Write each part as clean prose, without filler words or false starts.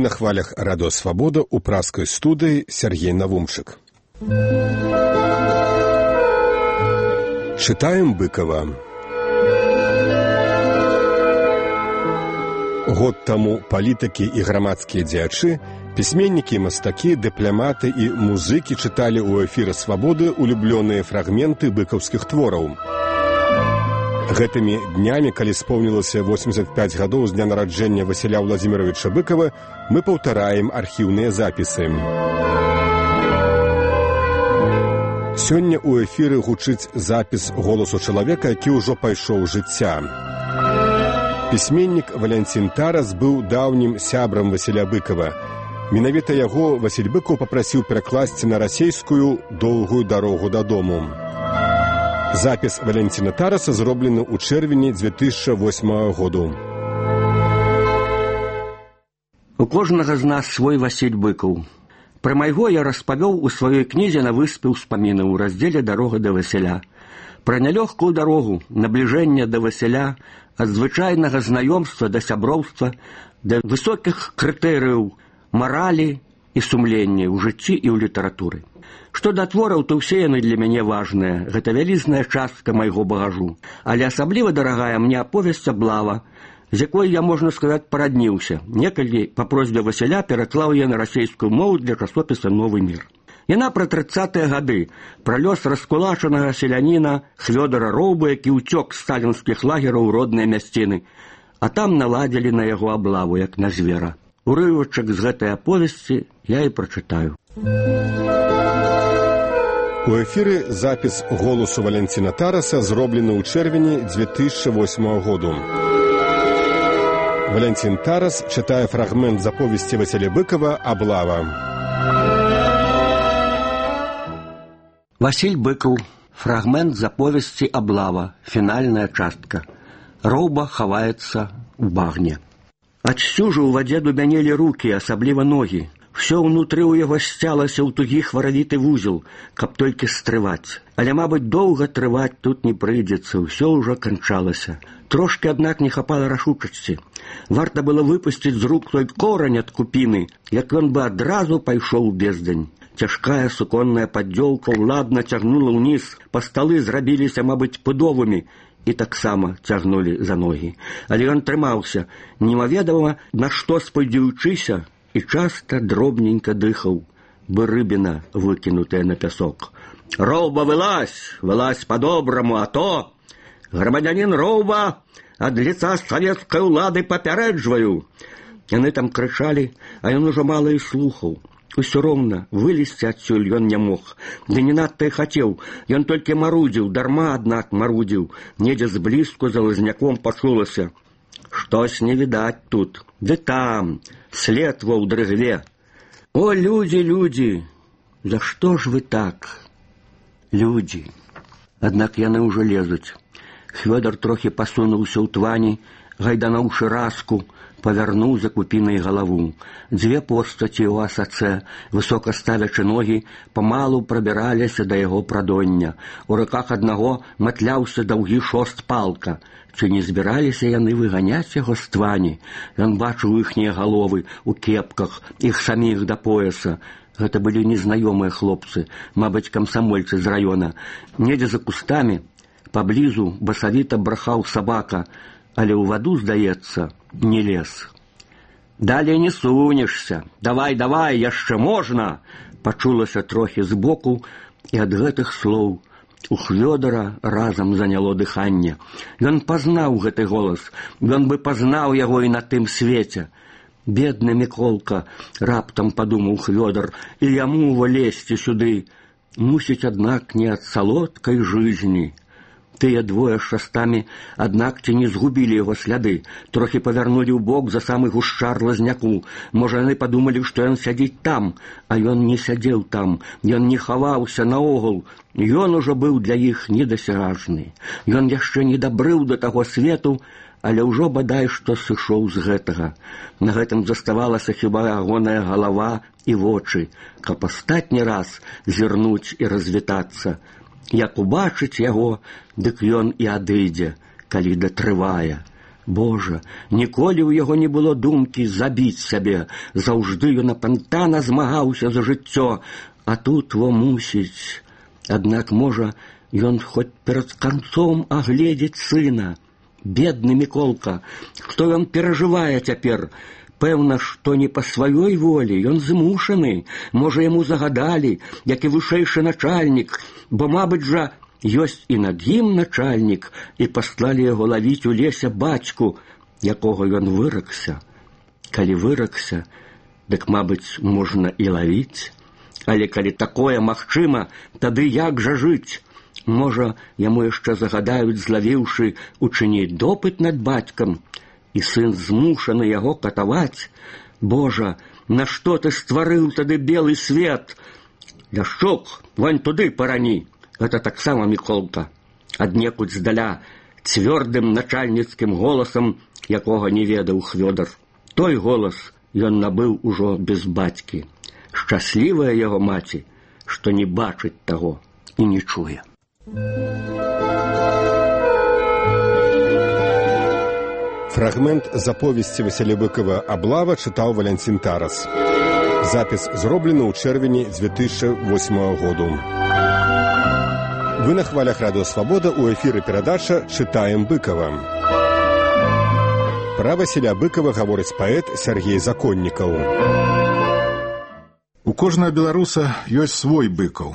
Вы на хвалях Радио Свобода у праской студии Сергей Навумчик. Читаем Быкова. Год таму палітыкі і грамадскія дзеячы, пісьменнікі, мастакі, дыпламаты і музыкі чыталі ў эфіры Свабоды улюблёныя фрагменты быкаўскіх твораў. Гэтымі днямі, калі споўнілася 85 гадоў з дня нараджэння Васіля Владзіміровича Быкова, мы паўтараем архіўныя запісы. Сёння ў эфіры гучыць запіс голасу чалавека, які ўжо пайшоў жыцця. Пісьменнік Валянцін Тарас быў даўнім сябрам Васіля Быкова. Менавіта яго Васіль Быкаў папрасіў перакласці на расейскую «Доўгую дарогу дадому». Запіс Валянціна Тараса зроблены ў чэрвені 2008 году. У кожнага з нас свой Васіль Быкаў. Пра майго я распавёў у сваёй кнізе «На выспе ўспамінаў» у раздзеле «Дарога да Васіля». Пра нялёгкую дарогу, набліжэння да Васіля, ад звычайнага знаёмства да сяброўства, да высокіх крытэрыяў маралі і сумлення ў жыцці і ў літаратуры. Што да твораў, то ўсе яны для мяне важныя. Гэта вялізная частка майго багажу. Але асабліва дарагая мне аповесць «Аблава», з якой я, можна сказаць, парадніўся. Некалі па просьбе Васіля пераклаў я на расейскую мову для часопіса «Новы мір». Яна пра 30-е гады, пра лёс раскулачанага селяніна Хвёдара Роўбы, які ўцёк з сталінскіх лагераў у родныя мясціны, а там наладзілі на яго аблаву, як на звера. Урывачак з гэтай аповесці я і прачытаю. У эфіры запіс голасу Валянціна Тараса зроблены ў чэрвені 2008 году. Валянцін Тарас чытае фрагмент з аповесці Васіля Быкова «Аблава». Васіль Быкаў. Фрагмент з аповесці «Аблава». Фінальная частка. Роўба хаваецца ў багне. Адсюжу ў вадзе дубянелі рукі, асабліва ногі. Всё ўнутры ў яго сцялася ў тугі хваравіты вузел, каб толькі стрываць. Але, мабыць, доўга трываць тут не прыйдзецца, ўсё ўжо канчалася. Трошкі, аднак, не хапала рашучасці. Варта было выпусціць з рук той корань ад купіны, як ён бы адразу пайшоў у бездань. Цяжкая суконная паддзёлка ўладна цягнула ўніз, па сталы зрабіліся, мабыць, пудовымі, і таксама цягнулі за ногі. Але ён трымаўся, немаведама, на што спадзеючыся, і часта дробненька дыхаў, бы рыбіна, выкінутая на пясок. «Роўба, вылазь! Вылазь по-добраму, а то! Грамадзянін Роўба, ад лица савецкай улады папярэджваю!» Яны там крычалі, а ён ужо мала і слухаў. Усё роўна, вылезці адсюль ён не мог. Ды не надта і хацеў. Ён толькі марудзіў, дарма, аднак, марудзіў. Недзе зблізку за лазняком пачулася. «Штось не відаць тут. Ды там, след во ўдрыгве. О, людзі, людзі! За што ж вы так? Людзі!» Аднак яны ўжо лезуць. Хвёдар трохі пасунуўся ў твані, гайдануўшы раску, павярнуў за купінай галаву. Дзве постаці ў асацэ, высока ставячы ногі, памалу прабіраліся да яго прадоння. У руках аднаго матляўся даўгі шост палка. Ці не збіраліся яны выганяць яго з твані? Ён бачыў іхнія галовы ў кепках, іх саміх да пояса. Гэта былі незнаёмыя хлопцы, мабыць, камсамольцы з раёна. Недзе за кустамі, паблізу басавіта брахаў сабака, але ў ваду, здаецца, не лез. «Далей не сунешся! Давай, давай, яшчэ можна!» Пачулася трохі збоку, і ад гэтых слоў у Хвёдара разам заняло дыханне. Ён пазнаў гэты голас, ён бы пазнаў яго і на тым свеце. «Бедны Міколка!» — раптам падумаў Хвёдар, «і яму влезці сюды. Мусіць, аднак, не ад салодкай жыцці». Тыя двое з шастамі, аднак, ці не згубілі яго сляды, трохі павярнулі ў бок за самы гушчар лазняку. Можа, яны падумалі, што ён сядзіць там, а ён не сядзеў там, ён не хаваўся наогул. Ён ужо быў для іх недасяжны. Ён яшчэ не дабрыў да таго свету, але ўжо бадай што сышоў з гэтага. На гэтым заставалася хіба ягоная галава і вочы, каб астатні раз зірнуць і развітацца. Як убачыць яго, дык ён і адыдзе, калі датрывае. Божа, ніколі ў яго не было думкі забіць сябе. Заўжды ён апантана змагаўся за жыццё, а тут во мусіць. Аднак, можа, ён хоць перад канцом агледзець сына. Бедны Міколка, што ён перажывае цяпер? Пэўна, што не па сваёй волі, ён змушаны. Можа, яму загадалі, як і вышэйшы начальнік, бо, мабыць жа, ёсць і над ім начальнік, і паслалі яго лавіць у лесе бацьку, якога ён выракся. Калі выракся, дык, мабыць, можна і лавіць. Але калі такое магчыма, тады як жа жыць? Можа, яму яшчэ загадаюць, злавіўшы, учыніць допыт над бацькам, і сын змушаны яго катаваць. Божа, нашто ты стварыў тады белы свет? Ляшчук, вань туды парані. Гэта таксама Міколка. Аднекуль здаля, цвёрдым начальніцкім голасам, якога не ведаў Хвёдар. Той голас ён набыў ужо без бацькі. Шчаслівая яго маці, што не бачыць таго і не чуе. Фрагмент з аповесці Васіля Быкова «Аблава» чытаў Валянцін Тарас. Запіс зроблены ў чэрвені 2008 году. Вы на хвалях Радыё Свабода, у эфіры перадача «Чытаем Быкова». Пра Васіля Быкова гаворыць паэт Сергей Законнікаў. У кожнага беларуса ёсць свой Быкаў.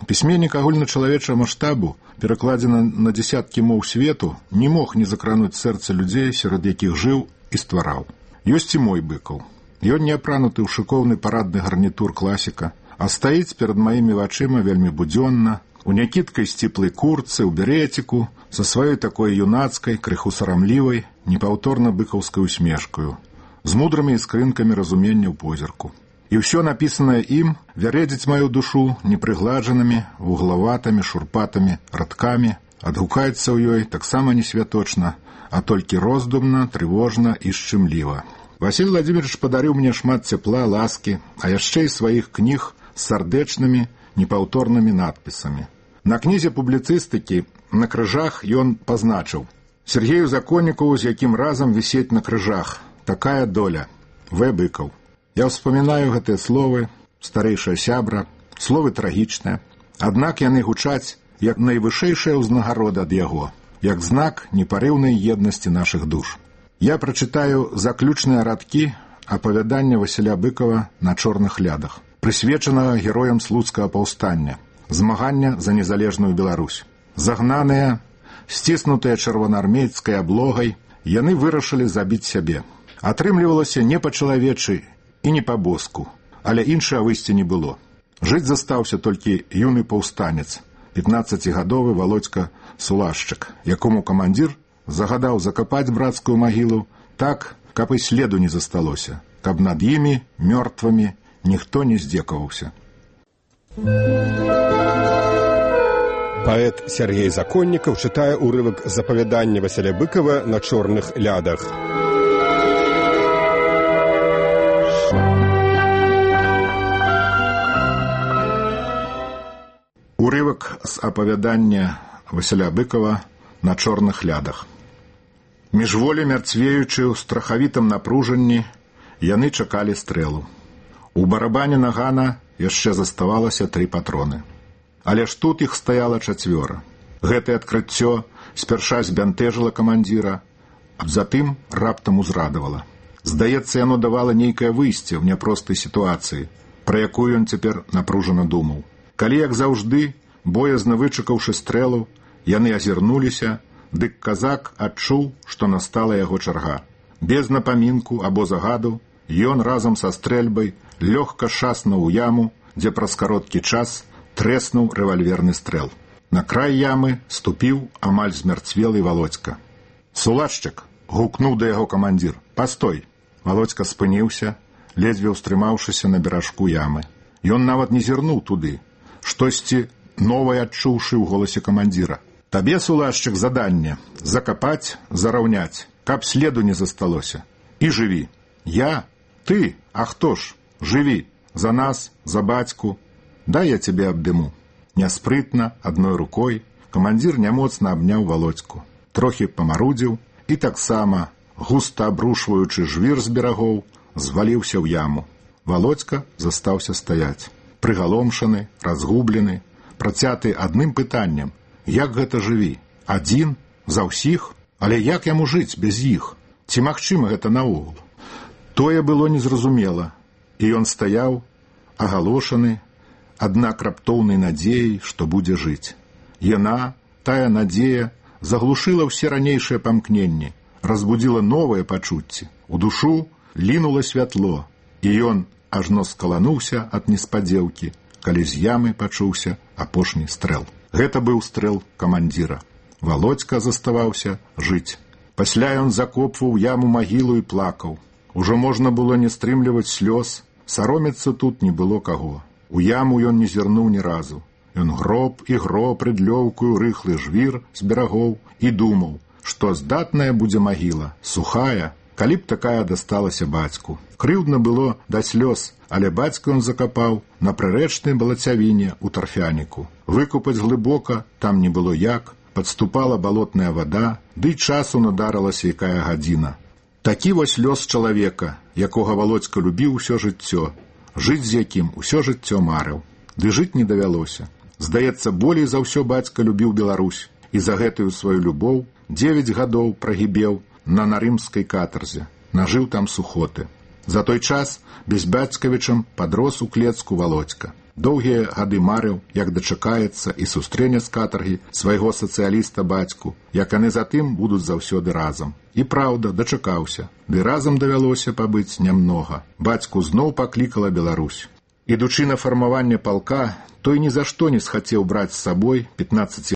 Пісьменнік агульначалавечага маштабу, перакладзены на дзесяткі моў свету, не мог не закрануць сэрца людзей, сярод якіх жыў і ствараў. Ёсць і мой Быкаў. Ён не апрануты ў шыкоўны парадны гарнітур класіка, а стаіць перад маімі вачыма вельмі будзённа, у някідкай сціплай куртцы, ў беретику, са сваёй такой юнацкай, крыху сарамлівай, непаўторна быкаўскай усмешкаю, з мудрымі іскрынкамі разумення ў позірку. І ўсё напісанае ім вярэдзіць маю душу непрыгладжанымі, вуглаватымі, шурпатымі радкамі, адгукаецца ў ёй таксама не святочна, а толькі роздумна, трывожна і шчымліва. Васіль Владимирович падарыў мне шмат цепла, ласкі, а яшчэ і сваіх кніг з сардэчнымі, непаўторнымі надпісамі. На кнізе публіцыстыкі на крыжах ён пазначыў: Сергею Законнікову, з якім разам вісець на крыжах. Такая доля. В. Быкаў. Я ўспамінаю гэтыя словы, старэйшая сябра, словы трагічныя, аднак яны гучаць як найвышэйшая ўзнагарода ад яго, як знак непарыўнай еднасці нашых душ. Я прачытаю заключныя радкі апавядання Васіля Быкова «На чорных лядах», прысвечанага героям слуцкага паўстання, змагання за незалежную Беларусь. Загнаныя, сціснутыя чырвонаармейскай аблогай, яны вырашылі забіць сябе. Атрымлівалася не па-чалавечы і не па-боску, але іншага выйсця не было. Жыць застаўся толькі юны паўстанец, 15гадовы Володька Сулашчык, якому камандзір загадаў закапаць брацкую магілу так, каб і следу не засталося, каб над імі, мёртвымі, ніхто не здзекаваўся. Паэт Сергей Законнікаў чытае ўрывак з апавядання Васіля Быкова «На чорных лядах». Урывак з апавядання Васіля Быкова «На чорных лядах». Міжволі мярцвеючы ў страхавітым напружанні, яны чакалі стрэлу. У барабане нагана яшчэ заставалася 3 патроны. Але ж тут іх стаяла 4. Гэтае адкрыццё спярша збянтэжыла камандзіра, а затым раптам узрадавала. Здаецца, яно давала нейкае выйсце ў няпростай сітуацыі, пра якую ён цяпер напружана думаў. Калі, як заўжды, боязна вычакаўшы стрэлу, яны азірнуліся, дык казак адчуў, што настала яго чарга. Без напамінку або загаду ён разам са стрэльбай лёгка шаснуў у яму, дзе праз кароткі час трэснуў рэвальверны стрэл. На край ямы ступіў амаль змярцвелы Володька. «Сулашчык!» — гукнуў да яго камандзір. «Пастой!» Володька спыніўся, ледзьве ўстрымаўшыся на беражку ямы. Ён нават не зірнуў туды, штосьці новае адчуўшы ў голасе камандзіра. «Табе, Сулашчык, заданне — закапаць, зараўняць, каб следу не засталося. І жыві!» «Я? Ты? А хто ж? Жыві! За нас, за бацьку! Дай я цябе абдыму». Няспрытна, адной рукой, камандзір нямоцна абняў Володьку. Трохі памарудзіў і таксама, густа абрушваючы жвір з берагоў, зваліўся ў яму. Володька застаўся стаяць. Прыгаломшаны, разгублены, працяты адным пытаннем: як гэта жыві? Адзін? За ўсіх? Але як яму жыць без іх? Ці магчыма гэта наогул? Тое было незразумела, і ён стаяў, агалошаны, аднак раптоўнай надзеяй, што будзе жыць. Яна, тая надзея, заглушыла ўсе ранейшыя памкненні, разбудзіла новыя пачуцці. У душу лінула святло, і ён ажно скалануўся ад неспадзеўкі, калі з ямы пачуўся апошні стрэл. Гэта быў стрэл камандзіра. Володька заставаўся жыць. Пасля ён закопваў яму магілу і плакаў. Ужо можна было не стрымліваць слёз, саромецца тут не было каго. У яму ён не зірнуў ні разу. Ён гроб і гроб рыдлёўкую рыхлы жвір з берагоў і думаў, што здатная будзе магіла, сухая, калі б такая дасталася бацьку. Крыўдна было да слёз, але бацьку ён закапаў на прырэчнай балацявіне ў тарфяніку. Выкупаць глыбока там не было як, падступала балотная вада, ды часу надарылася якая гадзіна. Такі вось лёс чалавека, якога Володька любіў усё жыццё, жыць з якім усё жыццё марыў. Ды жыць не давялося. Здаецца, болей за ўсё бацька любіў Беларусь, і за гэтую сваю любоў 9 гадоў прагібеў на нарымскай катарзе, нажыў там сухоты. За той час без бацькавічам падрос у клецку Володька. Доўгія гады марыў, як дачакаецца і сустрэне з катаргі свайго сацыяліста бацьку, як яны затым будуць заўсёды разам. І праўда, дачакаўся, ды разам давялося пабыць нямнога. Бацьку зноў паклікала Беларусь. Ідучы на фармаванне палка, той ні за што не схацеў браць з сабой 15